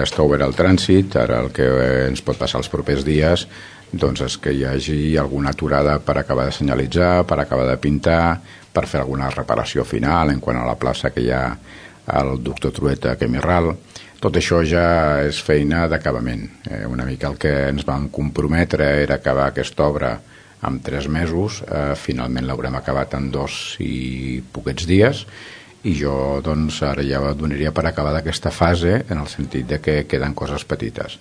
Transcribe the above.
Ja està obert el trànsit, ara el que ens pot passar els propers dies doncs és que hi hagi alguna aturada per acabar de senyalitzar, per acabar de pintar, per fer alguna reparació final en quant a la plaça que hi ha al doctor Trueta a Camí Ral. Tot això ja és feina d'acabament. Una mica el que ens vam comprometre era acabar aquesta obra en 3 mesos, finalment l'haurem acabat en 2 i poquets dies, i jo doncs ara ja donaria per acabada aquesta fase en el sentit de que queden coses petites.